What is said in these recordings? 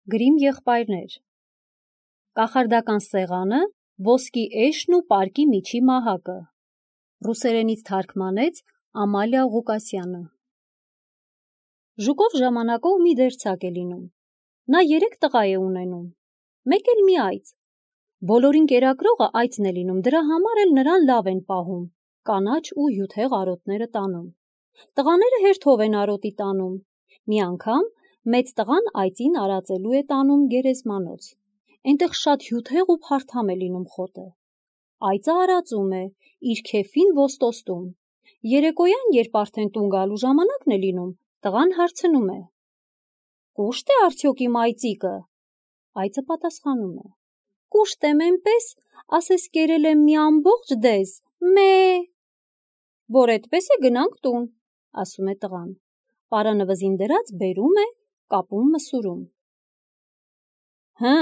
Գրիմ եղբայրներ։ Կախարդական սեղանը, ոսկի էշն ու պարկի միջի մահակը։ Ռուսերենից թարգմանեց Ամալիա Ղուկասյանը։ Ժուկով ժամանակով մի դերձակ է լինում։ Նա 3 տղա է ունենում, մեկ էլ մի այծ։ Բոլորին կերակրողը այծն է լինում, դրա համար էլ նրան լավ են պահում, կանաչ ու հյութեղ արոտները տանում։ Տղաները հերթով են արոտի տանում։ Մի անգամ մեծ տղան այծին արածելու է տանում գերեզմանոց։ Այնտեղ շատ հյութեղ ու փարթամ է լինում խոտը։ Այծը արածում է, իր քեֆին ոստոստում։ Երեկոյան, երբ արդեն տուն գալու ժամանակն է լինում, տղան հարցնում է. «Կուշտ է արդյոք իմ այծիկը»։ Այծը պատասխանում է. «Կուշտ եմ էնպես, ասես կերել եմ մի ամբողջ դեզ, մե»։ «Որ էդպես է, գնանք տուն», ասում է տղան։ Պարանը վզին դրած բերում է, կապում մսուրում։ «Հը,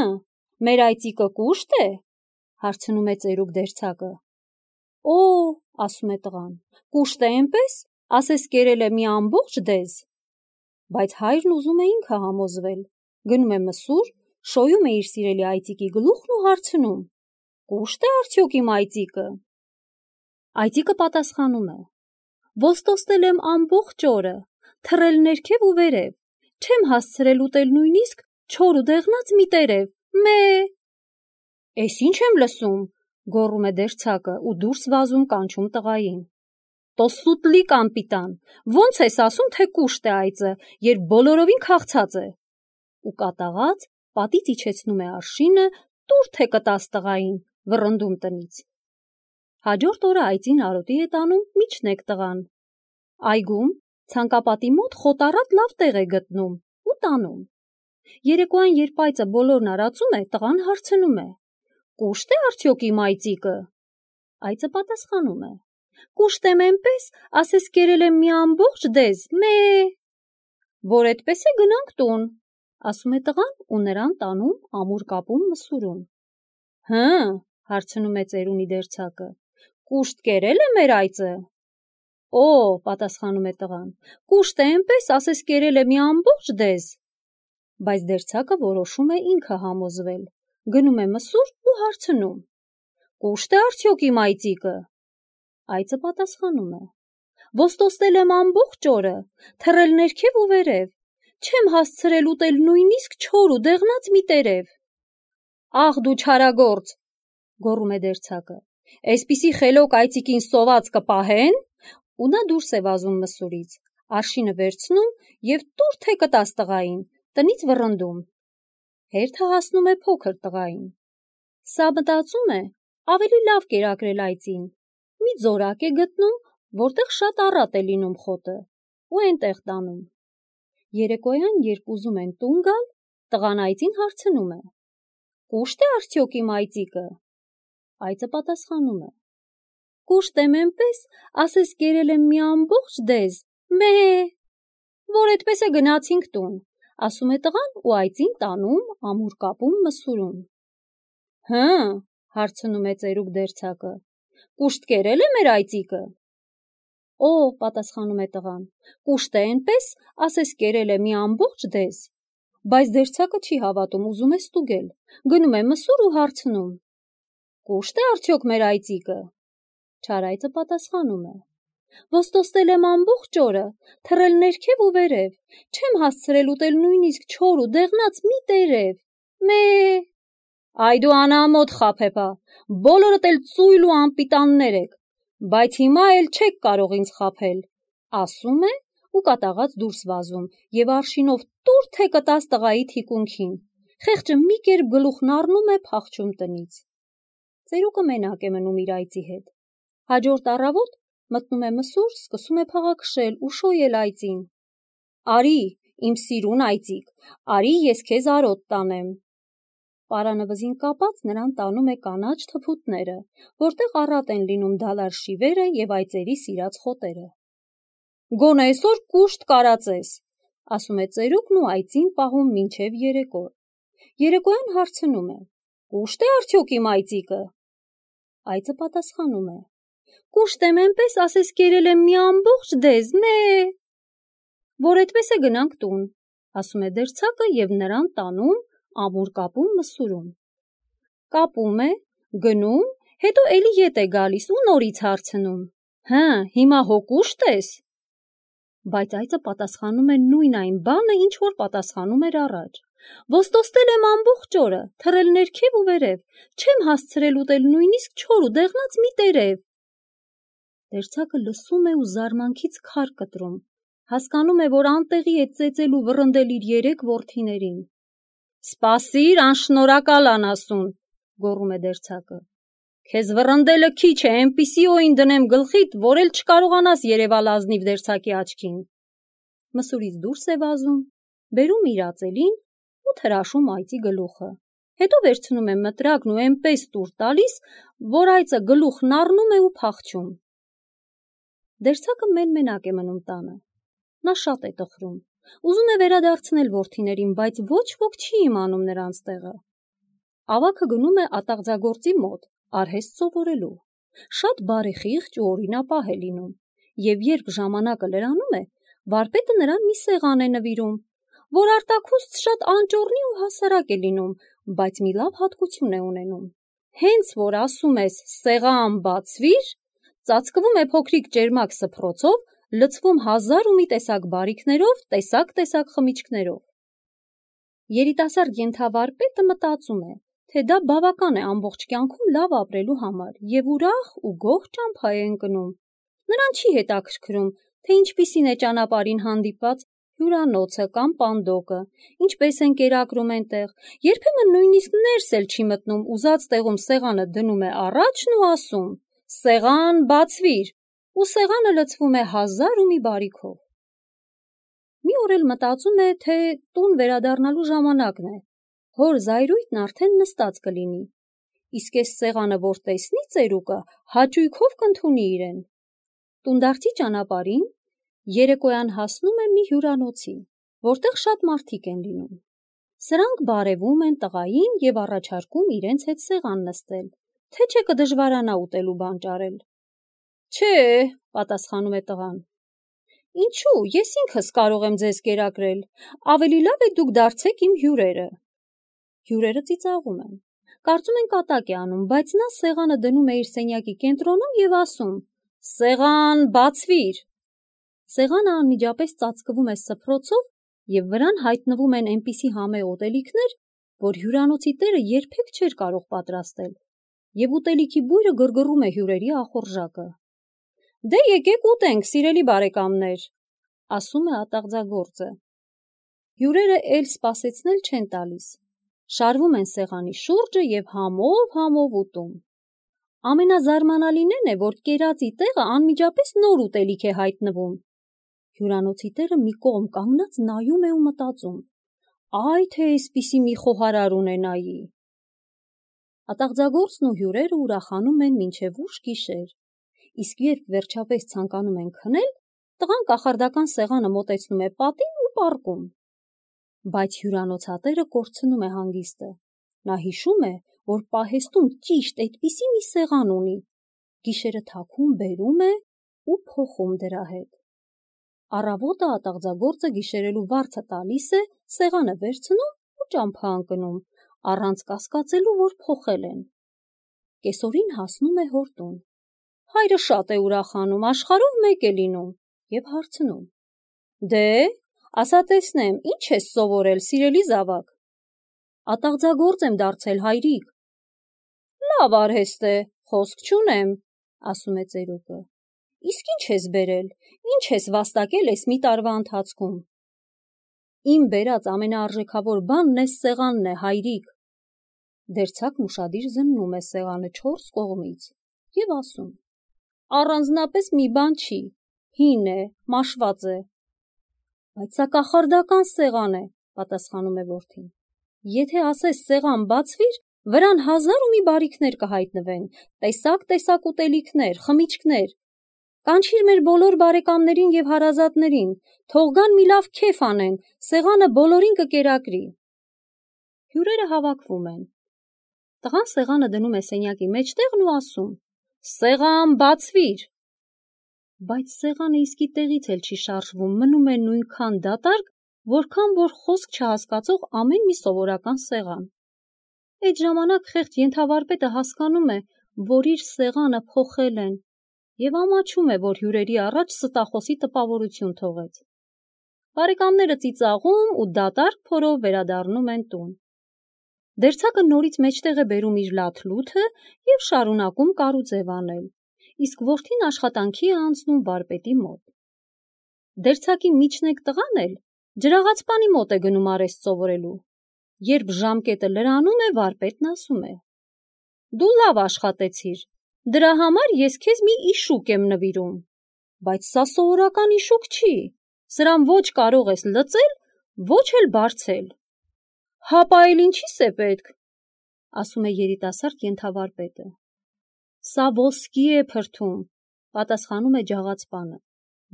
մեր այծիկը կուշտ է», հարցնում է ծերուկ դերձակը։ «Օ», ասում է տղան, «կուշտ է էնպես, ասես կերել է մի ամբողջ դեզ»։ Բայց հայրն ուզում է ինքը համոզվել, գնում է մսուր, շոյում է իր սիրելի այծիկի գլուխն ու հարցնում. «Կուշտ է արդյոք իմ այծիկը»։ Այծիկը պատասխանում է. «Ոստոստել եմ ամբողջ օրը, թռել ներքև ու վերև, չեմ հասցրել ուտել նույնիսկ չոր ու դեղնած մի տերև, մե»։ «Էս ինչ եմ լսում», գոռում է դերձակը ու դուրս վազում կանչում տղային։ «Տոսուտլի կամպիտան, ո՞նց ես ասում, թե կուշտ է այծը, երբ բոլորովին քաղցած է»։ Ու կատաղած պատից իջեցնում է արշինը, տուր թե կտաս տղային, վռնդում տնից։ Հաջորդ օրը այծին արոտի է տանում միջնեկ տղան։ Այգում ցանկապատի մոտ խոտառատ լավ տեղ է գտնում ու տանում։ Երեկոյան, երբ այծը բոլորն արածում է, տղան հարցնում է. «Կուշտ է արդյոք իմ այծիկը»։ Այծը պատասխանում է. «Կուշտ եմ էնպես, ասես կերել եմ մի ամբողջ դեզ, մե»։ «Որ էդպես է, գնանք տուն», ասում է տղան ու նրան տանում ամուր կապում մսուրում։ «Հը», հարցնում է ծերունի դերձակը, «կուշտ կերել է մեր այծը»։ «Օ», պատասխանում է տղան, «կուշտ է էնպես, ասես կերել է մի ամբողջ դեզ»։ Բայց դերձակը որոշում է ինքը համոզվել, գնում է մսուր ու հարցնում. «Կուշտ է արդյոք իմ այծիկը»։ Այծը պատասխանում է. «Ոստոստել եմ ամբողջ օրը, թռել ներքև ու վերև, չեմ հասցրել ուտել նույնիսկ չոր ու դեղնած մի տերև»։ «Ախ դու չարագործ», գոռում է դերձակը, «էսպիսի խելոք այծիկին սոված կպահեն»։ Ու նա դուրս է վազում մսուրից, արշինը վերցնում և տուր թե կտաս տղային, տնից վռնդում։ Հերթը հասնում է փոքր տղային։ Սա մտածում է ավելի լավ կերակրել այծին, մի ձորակ է գտնում, որտեղ շատ առատ է լինում խոտը, ու էնտեղ տանում։ Երեկոյան, երբ ուզում են տուն գալ, տղան այծին հարցնում է. «Կուշտ է արդյոք իմ այծիկը»։ Այծը պատասխանում է. «Կուշտ եմ էնպես, ասես կերել եմ մի ամբողջ դեզ, մե»։ «Որ էդպես է, գնացինք տուն», ասում է տղան ու այծին տանում ամուր կապում մսուրում։ «Հը», հարցնում է ծերուկ դերձակը, «կուշտ կերել է մեր այծիկը»։ «Օ», պատասխանում է տղան, «կուշտ է էնպես, ասես կերել է մի ամբողջ դեզ»։ Բայց դերձակը չի հավատում, ուզում է ստուգել, գնում է մսուր ու հարցնում. «Կուշտ է արդյոք մեր այծիկը»։ Չար այծը պատասխանում է. «Ոստոստել եմ ամբողջ օրը, թռել ներքև ու վերև, չեմ հասցրել ուտել նույնիսկ չոր ու դեղնած մի տերև, մե»։ «Այ դու անամոթ խաբեբա, բոլորդ էլ ծույլ ու անպիտաններ եք, բայց հիմա էլ չեք կարող ինձ խաբել», ասում է ու կատաղած դուրս վազում և արշինով տուր թե կտաս տղայի թիկունքին։ Խեղճը մի կերպ գլուխն առնում է, փախչում տնից։ Ծերուկը մենակ է մնում իր այծի հետ։ Հաջորդ առավոտ մտնում է մսուր, սկսում է փաղաքշել ու շոյել այծին. «Արի, իմ սիրուն այծիկ, արի ես քեզ արոտ տանեմ»։ Պարանը վզին կապած նրան տանում է կանաչ թփուտները, որտեղ առատ են լինում դալար շիվերը և այծերի սիրած խոտերը։ «Գոնե այսօր կուշտ կարածես», ասում է ծերուկն ու այծին պահում մինչև երեկո։ Երեկոյան հարցնում է. «Կուշտ է արդյոք իմ այծիկը»։ Այծը պատասխանում է. «Կուշտ եմ էնպես, ասես կերել եմ մի ամբողջ դեզ, մե»։ «Որ էդպես է, գնանք տուն», ասում է դերձակը և նրան տանում ամուր կապում մսուրում։ Կապում է, գնում, հետո էլի ետ է գալիս ու նորից հարցնում. «Հը, հիմա հոգուշտ ես»։ Բայց այծը պատասխանում է նույն այն բանը, ինչ որ պատասխանում էր առաջ. «Ոստոստել եմ ամբողջ օրը, թռել ներքև ու վերև, չեմ հասցրել ուտել նույնիսկ չոր ու դեղնած մի տերև»։ Դերձակը լսում է ու զարմանքից քար կտրում, հասկանում է, որ անտեղի է ծեծել ու վռնդել իր 3 որդիներին։ «Սպասիր, անշնորհակալ անասուն», գոռում է դերձակը։ «Քեզ վռնդելը քիչ է, էնպիսի օին դնեմ գլխիդ, որ էլ չկարողանաս երևալ ազնիվ դերձակի աչքին»։ Մսուրից դուրս է վազում, բերում իր ածելին ու թրաշում այծի գլուխը։ Հետո վերցնում է մտրակն ու էնպես տուր տալիս, որ այծը գլուխն առնում է ու փախչում։ Դերձակը մեն-մենակ է մնում տանը։ Նա շատ է տխրում, ուզում է վերադարձնել որդիներին, բայց ոչ ոք չի իմանում նրանց տեղը։ Ավագը գնում է ատաղձագործի մոտ, արհեստ սովորելու։ Շատ բարեխիղճ ու օրինապահ է լինում, եւ երբ ժամանակը լրանում է, վարպետը նրան մի սեղան է նվիրում, որ արտաքուստ շատ անճոռնի ու հասարակ է լինում, բայց մի լավ հատկություն է ունենում։ Հենց որ ասում ես «սեղան բացվիր», ծածկվում է փոքրիկ ճերմակ սփռոցով, լցվում 1000 ու մի տեսակ բարիքներով, տեսակ խմիչքներով։ Երիտասարդ ենթավարպետը մտածում է, թե դա բավական է ամբողջ կյանքում լավ ապրելու համար եւ ուրախ ու գոհ ճամփա է ընկնում։ Նրան չի հետաքրքրում, թե ինչպիսին է ճանապարհին հանդիպած հյուրանոցը կամ պանդոկը, ինչպես են կերակրում այնտեղ, երբեմն նույնիսկ ներս էլ չի մտնում, ուզած տեղում սեղանը դնում է առաջն ու ասում. «Սեղան բացվիր», ու սեղանը լցվում է 1000 ու մի բարիքով։ Մի օր էլ մտածում է, թե տուն վերադառնալու ժամանակն է, հոր զայրույթն արդեն նստած կլինի, իսկ այս սեղանը որ տեսնի ծերուկը, հաճույքով կընդունի իրեն։ Տունդարձի ճանապարհին երեկոյան հասնում է մի հյուրանոցի, որտեղ շատ մարդիկ են լինում։ Սրանք բարևում են տղային եւ առաջարկում իրենց հետ սեղան նստել, թե չէ կդժվարանա ուտելու բան ճարել։ «Չէ», պատասխանում է տղան։ «Ինչու, ես ինքս կարող եմ ձեզ կերակրել, ավելի լավ է դուք դարձեք իմ հյուրերը»։ Հյուրերը ծիծաղում են, կարծում են կատակ է անում, բայց նա սեղանը դնում է իր սենյակի կենտրոնում եւ ասում. «Սեղան բացվիր»։ Սեղանը անմիջապես ծածկվում է սփռոցով եւ վրան հայտնվում են այնպիսի համեղ ուտելիքներ, որ հյուրանոցի տերը երբեք չէր կարող պատրաստել, եւ ուտելիքի բույրը գրգռում է հյուրերի ախորժակը։ «Դե եկեք ուտենք, սիրելի բարեկամներ», ասում է ատաղձագործը։ Հյուրերը էլ սպասեցնել չեն տալիս, շարվում են սեղանի շուրջը եւ համով ուտում։ Ամենազարմանալին է, որ կերածի տեղը անմիջապես նոր ուտելիք է հայտնվում։ Հյուրանոցի տերը մի կողմ կանգնած նայում է ու մտածում. «Այ թե էսպիսի մի խոհարար ունենայի»։ Ատաղձագործն ու հյուրերը ուրախանում են մինչև ուշ գիշեր, իսկ երբ վերջապես ցանկանում են քնել, տղան կախարդական սեղանը մոտեցնում է պատին ու պառկում։ Բայց հյուրանոցատերը կորցնում է հանգիստը։ Նա հիշում է, որ պահեստում ճիշտ այդպիսի մի սեղան ունի, գիշերը թաքուն բերում է ու փոխում դրա հետ։ Առավոտը ատաղձագործը գիշերելու վարձը տալիս է, սեղանը վերցնում ու ճամփա ընկնում, առանց կասկածելու, որ փոխել են։ Կեսօրին հասնում է հոր տուն։ Հայրը շատ է ուրախանում, աշխարհով մեկ է լինում եւ հարցնում. «Դե, ասա տեսնեմ, ինչ ես սովորել, սիրելի զավակ»։ «Ատաղձագործ եմ դարձել, հայրիկ»։ «Լավ արհեստ է, խոսք չունեմ», ասում է ծերուկը։ «Իսկ ինչ ես բերել, ինչ ես վաստակել այս մի տարվա ընթացքում»։ «Իմ բերած ամենաարժեքավոր բանն էս սեղանն է, հայրիկ»։ Դերձակն ուշադիր զննում է սեղանը 4 կողմից եւ ասում. «Առանձնապես մի բան չի, հին է, մաշված է»։ «Բայց սա կախարդական սեղան է», պատասխանում է որդին։ «Եթե ասես սեղան բացվիր, վրան 1000 ու մի բարիքներ կհայտնվեն, տեսակ ուտելիքներ, խմիչքներ։ Կանչիր մեր բոլոր բարեկամներին եւ հարազատներին, թող գան մի լավ քեֆ անեն, սեղանը բոլորին կկերակրի»։ Հյուրերը հավաքվում են։ Տղան սեղանը դնում է սենյակի մեջտեղն ու ասում. «Սեղան բացվիր»։ Բայց սեղանը իսկի տեղից էլ չի շարժվում, մնում է նույնքան դատարկ, որքան որ խոսք չհասկացող ամեն մի սովորական սեղան։ Այդ ժամանակ խեղճ ենթավարպետը հասկանում է, որ իր սեղանը փոխել են և ամաչում է, որ հյուրերի առաջ ստախոսի տպավորություն թողեց։ Բարեկամները ծիծաղում ու դատարկ փորով վերադառնում են տուն։ Դերձակը նորից մեջտեղ է բերում իր լաթլութը և շարունակում կարուձև անել, իսկ որդին աշխատանքի է անցնում վարպետի մոտ։ Դերձակի միջնեկ տղան էլ ջրաղացպանի մոտ է գնում արհեստ սովորելու։ Երբ ժամկետը լրանում է, վարպետն ասում է. «Դու լավ աշխատեցիր, դրա համար ես քեզ մի իշուկ եմ նվիրում, բայց սա սովորական իշուկ չի, սրան ոչ կարող ես լծել, ոչ էլ բարձել»։ «Հապա էլ ինչի՞ս է պետք», ասում է երիտասարդ ենթավարպետը։ «Սա ոսկի է փրթում», պատասխանում է ջաղացպանը։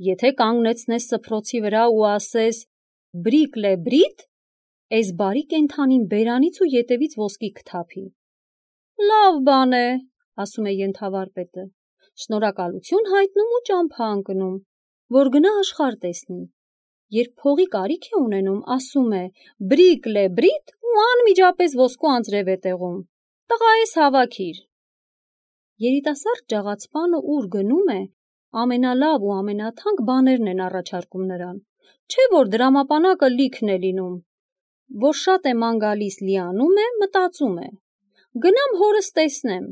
«Եթե կանգնեցնես սփռոցի վրա ու ասես «բրիկ լե բրիտ», էս բարի կենդանին բերանից ու ետևից ոսկի կթափի»։ «Լավ բան է», ասում է ենթավարպետը, շնորհակալություն հայտնում ու ճամփա ընկնում, որ գնա աշխարհ տեսնի։ Երբ փողի կարիք է ունենում, ասում է «բրիկ լե բրիտ» ու անմիջապես ոսկու անձրև է տեղում։ «Տղա, ես հավաքիր»։ Երիտասարդ ջաղացպանը ուր գնում է, ամենալավ ու ամենաթանկ բաներն են առաջարկում նրան, չէ որ դրամապանակը լիքն է լինում։ Որ շատ է ման գալիս լիանում է, մտածում է. «Գնամ հորս տեսնեմ,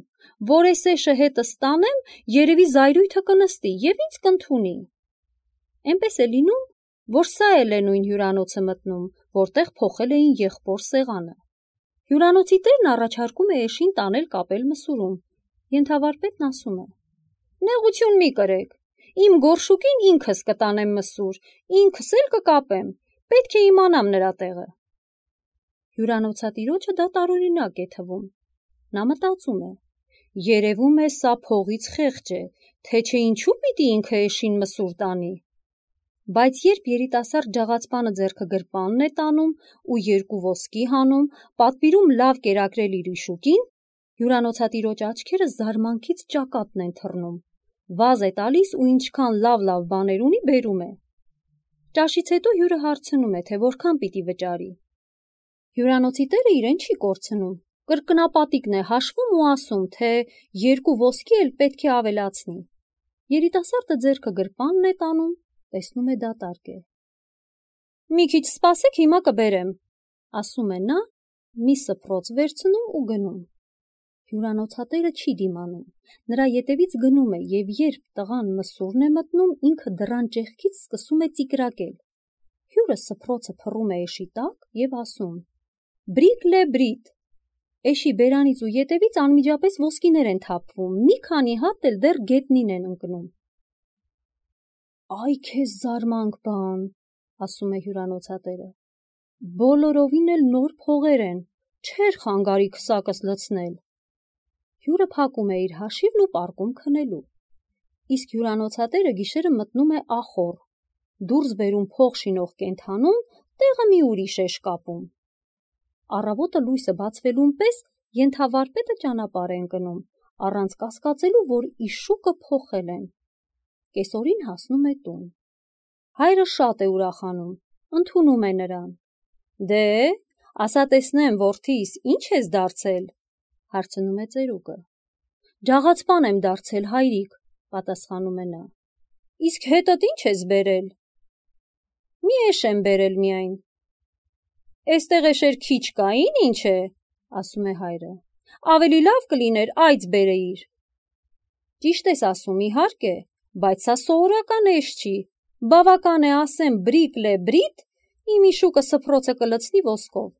որ էս էշը հետս տանեմ, երևի զայրույթը կնստի և ինձ կընդունի»։ Էնպես է լինում, որ սա էլ է նույն հյուրանոցը մտնում, որտեղ փոխել էին եղբոր սեղանը։ Հյուրանոցի տերն առաջարկում է էշին տանել կապել մսուրում։ Ենթավարպետն ասում է. «Նեղություն մի կրեք, իմ գորշուկին ինքս կտանեմ մսուր, ինքս էլ կկապեմ, պետք է իմանամ նրա տեղը»։ Հյուրանոցատիրոջը դա տարօրինակ է թվում։ Նա մտածում է. երևում է սա փողից խեղճ է, թե չէ ինչու պիտի ինքը էշին մսուր տանի։ Բայց երբ երիտասարդ ջաղացպանը ձեռքը գրպանն է տանում ու երկու ոսկի հանում, պատվիրում լավ կերակրել իր իշուկին, հյուրանոցատիրոջ աչքերը զարմանքից ճակատն են թռնում, վազ է տալիս ու ինչքան լավ բաներ ունի բերում է։ Ճաշից հետո հյուրը հարցնում է, թե որքան պիտի վճարի։ Հյուրանոցի տերը իրեն չի կորցնում, կրկնապատիկն է հաշվում ու ասում, թե երկու ոսկի էլ պետք է ավելացնի։ Երիտասարդը ձեռքը գրպանն է տանում, տեսնում է դատարկ է։ «Մի քիչ սպասեք, հիմա կբերեմ», ասում է նա, մի սփռոց վերցնում ու գնում։ Հյուրանոցատերը չի դիմանում, նրա ետևից գնում է և երբ տղան մսուրն է մտնում, ինքը դռան ճեղքից սկսում է ծիկրակել։ Հյուրը սփռոցը փռում է էշի տակ և ասում. «Բրիկ լե բրիտ»։ Էշի բերանից ու ետևից անմիջապես ոսկիներ են թափվում, մի քանի հատ էլ դեռ գետնին են ընկնում։ «Այ քեզ զարմանք բան», ասում է հյուրանոցատերը, «բոլորովին էլ նոր փողեր են, չէր խանգարի քսակս լցնել»։ Հյուրը փակում է իր հաշիվն ու պառկում քնելու։ Իսկ հյուրանոցատերը գիշերը մտնում է ախոռ, դուրս բերում փող շինող կենդանուն, տեղը մի ուրիշ է շկապում։ Առավոտը լույսը բացվելուն պես ենթավարպետը ճանապարհ է ընկնում, առանց կասկածելու, որ իշուկը փոխել են։ Կեսօրին հասնում է տուն։ Հայրը շատ է ուրախանում, ընդունում է նրան։ «Դե, ասա տեսնեմ, որդիս, ի՞նչ ես դարձել», հարցնում է ծերուկը։ «Ջաղացպան եմ դարձել, հայրիկ», պատասխանում է նա։ «Իսկ հետդ ի՞նչ ես բերել»։ «Մի էշ եմ բերել միայն»։ «Էստեղ էշեր քիչ կային, ինչ է», ասում է հայրը։ «Ավելի լավ կլիներ այծ բերեիր»։ «Ճիշտ ես ասում, իհարկե, բայց սա սովորական էշ չի, բավական է ասեմ բրիկ լե բրիտ, իմ իշուկը սփռոցը կլցնի ոսկով։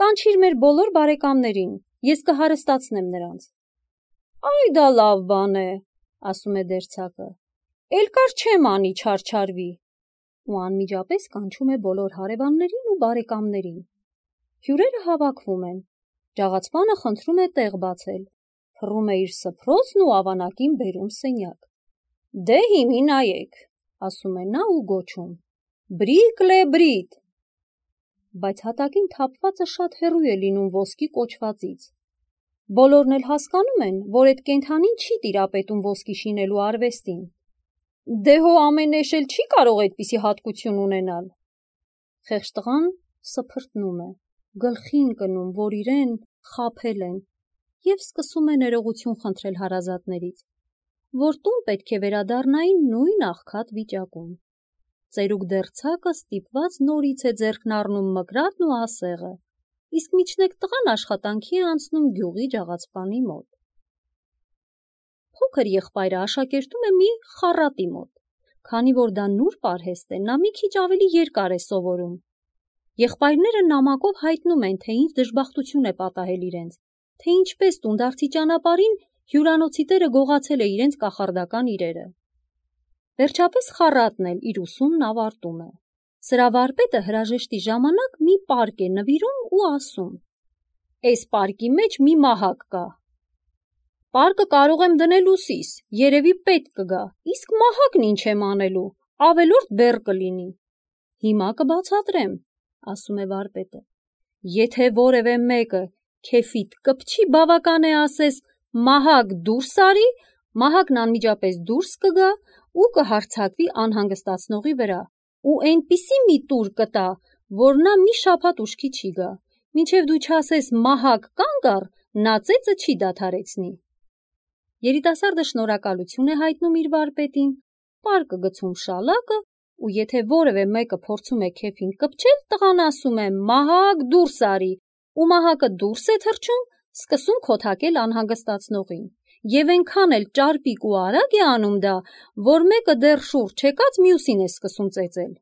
Կանչիր մեր բոլոր բարեկամներին, ես կհարստացնեմ նրանց»։ «Այ դա լավ բան է», ասում է դերձակը, «էլ կար չեմ անի չարչարվի»։ Ու անմիջապես կանչում է բոլոր հարևաններին ու բարեկամներին։ Հյուրերը հավաքվում են։ Ջաղացպանը խնդրում է տեղ բացել, փռում է իր սփռոցն ու ավանակին բերում սենյակ։ «Դե հիմի նայեք», ասում է նա ու գոչում. «Բրիկ լե բրիտ»։ Բայց հատակին թափվածը շատ հեռու է լինում ոսկի կոչվածից։ Բոլորն էլ հասկանում են, որ այդ կենդանին չի տիրապետում ոսկի շինելու արվեստին։ «Դե հո ամեն էշ էլ չի կարող այդպիսի հատկություն ունենալ»։ Խեղճ տղան սփրտնում է, գլխի ընկնում, որ իրեն խաբել են, և սկսում է ներողություն խնդրել հարազատներից, որ տուն պետք է վերադառնային նույն աղքատ վիճակում։ Ծերուկ դերձակը ստիպված նորից է ձեռքն առնում մկրատն ու ասեղը, իսկ միջնեկ տղան աշխատանքի է անցնում գյուղի ջաղացպանի մոտ։ Փոքր եղբայրը աշակերտում է մի խառատի մոտ, քանի որ դա նուրբ արհեստ է, նա մի քիչ ավելի երկար է սովորում։ Եղբայրները նամակով հայտնում են, թե ինչ դժբախտություն է պատահել իրենց, թե ինչպես տունդարձի ճանապարհին հյուրանոցի տերը գողացել է իրենց կախարդական իրերը։ Վերջապես խառատն էլ իր ուսումն ավարտում է։ Սրա վարպետը հրաժեշտի ժամանակ մի պարկ է նվիրում ու ասում. «Էս պարկի մեջ մի մահակ կա։ Պարկը կարող եմ դնել ուսիս, երևի պետք կգա, իսկ մահակն ինչ եմ անելու, ավելորդ բեռ կլինի»։ «Հիմա կբացատրեմ», ասում է վարպետը։ «Եթե որևէ մեկը քեֆիդ կպչի, բավական է ասես մահակ դուրս արի, մահակն անմիջապես դուրս կգա ու կհարձակվի անհանգստացնողի վրա ու այնպիսի մի տուր կտա, որ նա մի շաբաթ ուշքի չի գա, մինչև դու չասես մահակ կանգ առ, նա ծեծը չի դադարեցնի»։ Երիտասարդը շնորհակալություն է հայտնում իր վարպետին, պարկը գցում շալակը, ու եթե որևէ մեկը փորձում է քեֆին կպչել, տղան ասում է «մահակ դուրս արի», ու մահակը դուրս է թռչում, սկսում քոթակել անհանգստացնողին, և այնքան էլ ճարպիկ ու արագ է անում դա, որ մեկը դեռ շուրջ եկած մյուսին է սկսում ծեծել։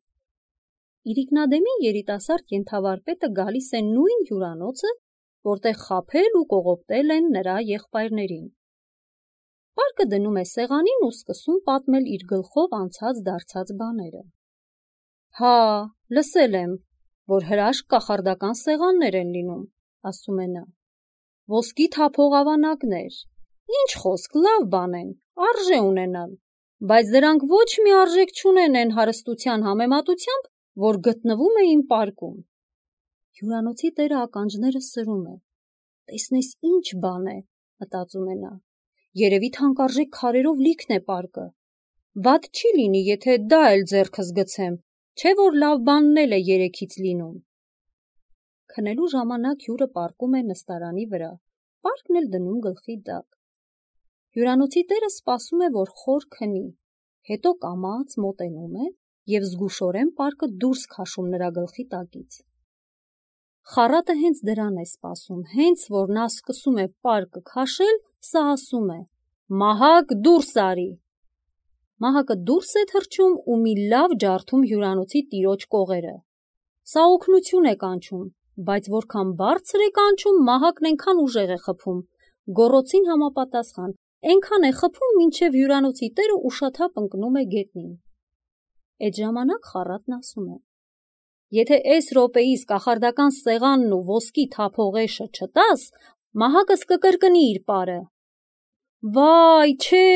Իրիկնադեմին երիտասարդ կենդավարպետը գալիս է նույն հյուրանոցը, որտեղ խաբել ու կողոպտել են նրա եղբայրներին։ Պարկը դնում է սեղանին ու սկսում պատմել իր գլխով անցած դարձած բաները։ «Հա, լսել եմ, որ հրաշք կախարդական սեղաններ են լինում», ասում է նա։ «Ոսկի թափող ավանակներ, ինչ խոսք, լավ բան են, արժե ունենալ, բայց դրանք ոչ մի արժեք չունեն այն հարստության համեմատությամբ, որ գտնվում է իմ պարկում»։ Հյուրանոցի տերը ականջները սրում է։ «Տեսնես ինչ բան է», մտածում է նա, «երևի թանկարժեք քարերով լիքն է պարկը։ Վատ չի լինի, եթե դա էլ ձեռքս գցեմ, չէ որ լավ բանն էլ է երեքից լինում»։ Քնելու ժամանակ հյուրը պառկում է նստարանի վրա, պարկն էլ դնում գլխի տակ։ Հյուրանոցի տերը սպասում է, որ խոր քնի, հետո կամաց մոտենում է և զգուշորեն պարկը դուրս քաշում նրա գլխի տակից։ Խառատը հենց դրան է սպասում, հենց որ նա սկսում է պարկը քաշել, սա ասում է. «Մահակ դուրս արի»։ Մահակը դուրս է թռչում ու մի լավ ջարդում հյուրանոցի տիրոջ կողերը։ Սա օգնություն է կանչում, բայց որքան բարձր է կանչում, մահակն այնքան ուժեղ է խփում, գոռոցին համապատասխան, այնքան է խփում, մինչև հյուրանոցի տերը ուշաթափ ընկնում է գետնին։ Այդ ժամանակ խառատն ասում է. «Եթե էս րոպեիս կախարդական սեղանն ու ոսկի թափողեշը չտաս, մահակս կկրկնի իր պարը»։ «Վայ, չէ»,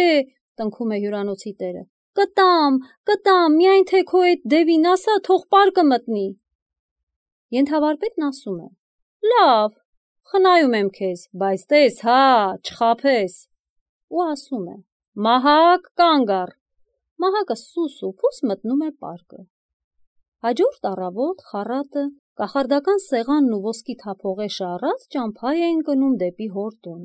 տնքում է հյուրանոցի տերը, կտամ, միայն թե քո էդ դևին ասա, թող պարկը մտնի։ Ենթավարպետն ասում է. «Լավ, խնայում եմ քեզ, բայց տես, հա, չխաբես»։ Ու ասում է. «Մահակ, կանգ առ»։ Մահակը սուս ու փուս մտնում է պարկը։ Հաջորդ առավոտ խառատը կախարդական սեղանն ու ոսկի թափողեշը առած ճամփա է ընկնում դեպի հոր տուն։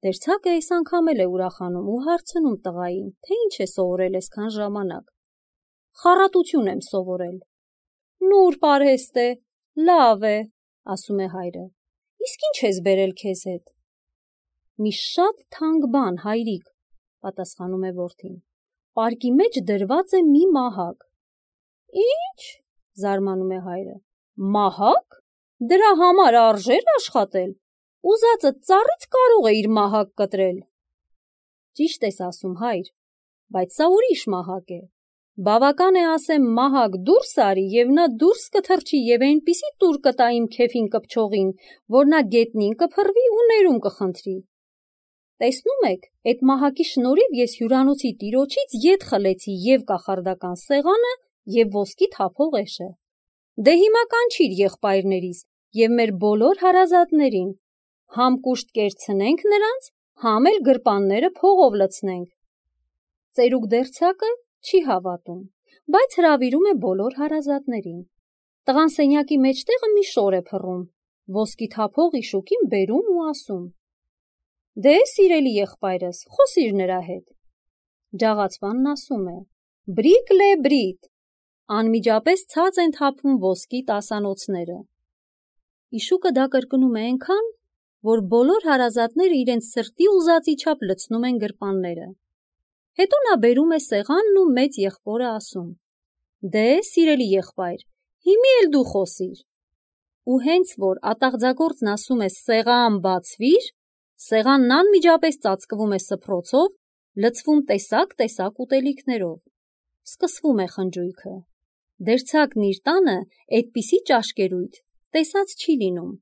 Դերձակը այս անգամ էլ է ուրախանում ու հարցնում տղային, թե ինչ է սովորել այսքան ժամանակ։ «Խառատություն եմ սովորել»։ «Նուրբ արհեստ է, լավ է», ասում է հայրը։ «Իսկ ինչ ես բերել քեզ հետ»։ «Մի շատ թանկ բան, հայրիկ», պատասխանում է որդին։ «Պարկի մեջ դրված է մի մահակ»։ «Ի՞նչ», զարմանում է հայրը։ «Մահակ? Դրա համար արժե՞ր աշխատել։ Ուզածը ծառից կարող է իր մահակ կտրել»։ «Ճիշտ ես ասում, հայր, բայց սա ուրիշ մահակ է։ Բավական է ասեմ մահակ դուրս արի, և նա դուրս կթռչի և այնպիսի տուր կտա իմ քեֆին կպչողին, որ նա գետնին կփռվի ու ներում կխնդրի։ Տեսնում եք, այդ մահակի շնորհիվ ես հյուրանոցի տիրոջից ետ խլեցի և կախարդական սեղանը, և ոսկի թափողեշը։ Դե հիմա կանչիր եղբայրներիս և մեր բոլոր հարազատներին, համ կուշտ կերցնենք նրանց, համ էլ գրպանները փողով լցնենք»։ Ծերուկ դերձակը չի հավատում, բայց հրավիրում է բոլոր հարազատներին։ Տղան սենյակի մեջտեղը մի շոր է փռում, ոսկի թափող իշուկին բերում ու ասում. «Դե, սիրելի եղբայրս, խոսիր նրա հետ»։ Ջաղացվանն ասում է. «Բրիկ լե բրիտ»։ Անմիջապես ցած են թափվում ոսկի տասանոցները։ Իշուկը դա կրկնում է այնքան, որ բոլոր հարազատները իրենց սրտի ուզածի չափ լցնում են գրպանները։ Հետո նա բերում է սեղանն ու մեծ եղբորը ասում. «Դե, սիրելի եղբայր, հիմի էլ դու խոսիր»։ Ու հենց որ ատաղձագործն ասում է «սեղան բացվիր», սեղանն անմիջապես ծածկվում է սփռոցով, լցվում տեսակ ուտելիքներով։ Սկսվում է խնջույքը։ Դերձակն իր տանը այդպիսի ճաշկերույթ տեսած չի լինում։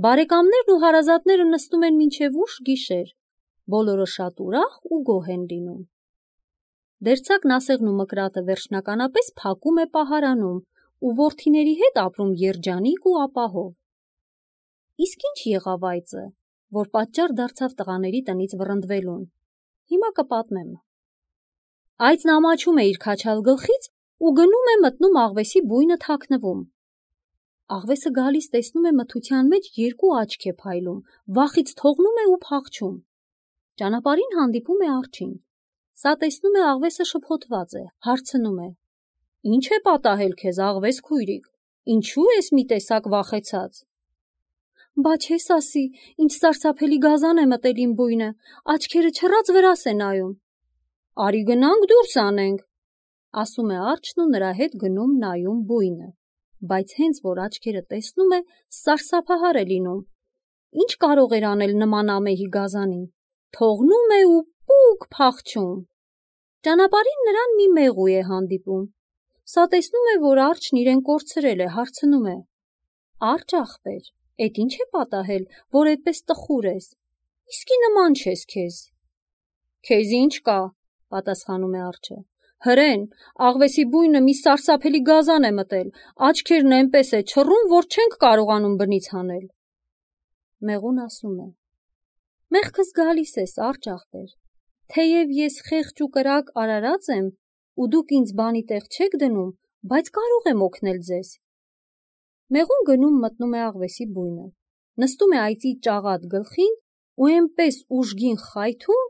Բարեկամներն ու հարազատները նստում են մինչև ուշ գիշեր, բոլորը շատ ուրախ ու գոհ են լինում։ Դերձակն ասեղն ու մկրատը վերջնականապես փակում է պահարանում ու որդիների հետ ապրում երջանիկ ու ապահով։ Իսկ ինչ եղավ այծը, որ պատճառ դարձավ տղաների տնից վռնդվելուն։ Հիմա կպատմեմ։ Այծն ամաչում է իր քաչալ գլխից ու գնում է մտնում աղվեսի բույնը թաքնվում։ Աղվեսը գալիս տեսնում է մթության մեջ երկու աչք է փայլում, վախից թողնում է ու փախչում։ Ճանապարհին հանդիպում է արջին։ Սա տեսնում է աղվեսը շփոթված է, հարցնում է. «Ինչ է պատահել քեզ, աղվես քույրիկ, ինչու ես մի տեսակ վախեցած»։ «Բա չես ասի, ինչ սարսափելի գազան է մտել իմ բույնը, աչքերը չռած վրաս է նայում»։ «Արի գնանք դուրս անենք», ասում է արջն ու նրա հետ գնում նայում բույնը, բայց հենց որ աչքերը տեսնում է, սարսափահար է լինում։ Ինչ կարող էր անել նման ամեհի գազանին, թողնում է ու պուկ փախչում։ Ճանապարհին նրան մի մեղու է հանդիպում։ Սա տեսնում է, որ արջն իրեն կորցրել է, հարցնում է. «Արջ ախպեր, էդ ինչ է պատահել, որ այդպես տխուր ես, իսկի նման չես քեզ»։ «Քեզ ինչ կա», պատասխանում է արջը։ «Հրեն, աղվեսի բույնը մի սարսափելի գազան է մտել, աչքերն այնպես է չռում, որ չենք կարողանում բնից հանել»։ Մեղուն ասում է. «Մեղքս գալիս ես, արջ ախպեր, թեև ես խեղճ ու կրակ արարած եմ, ու դուք ինձ բանի տեղ չեք դնում, բայց կարող եմ օգնել ձեզ»։ Մեղուն գնում մտնում է աղվեսի բույնը, նստում է այծի ճաղատ գլխին ու այնպես ուժգին խայթում,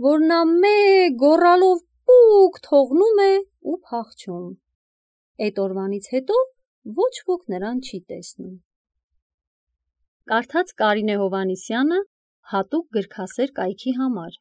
որ նա մեկ գոռալով պուկ թողնում է ու փախչում։ Այդ օրվանից հետո ոչ ոք նրան չի տեսնում։ Կարդաց Կարինե Հովհաննիսյանը հատուկ գրքասեր կայքի համար։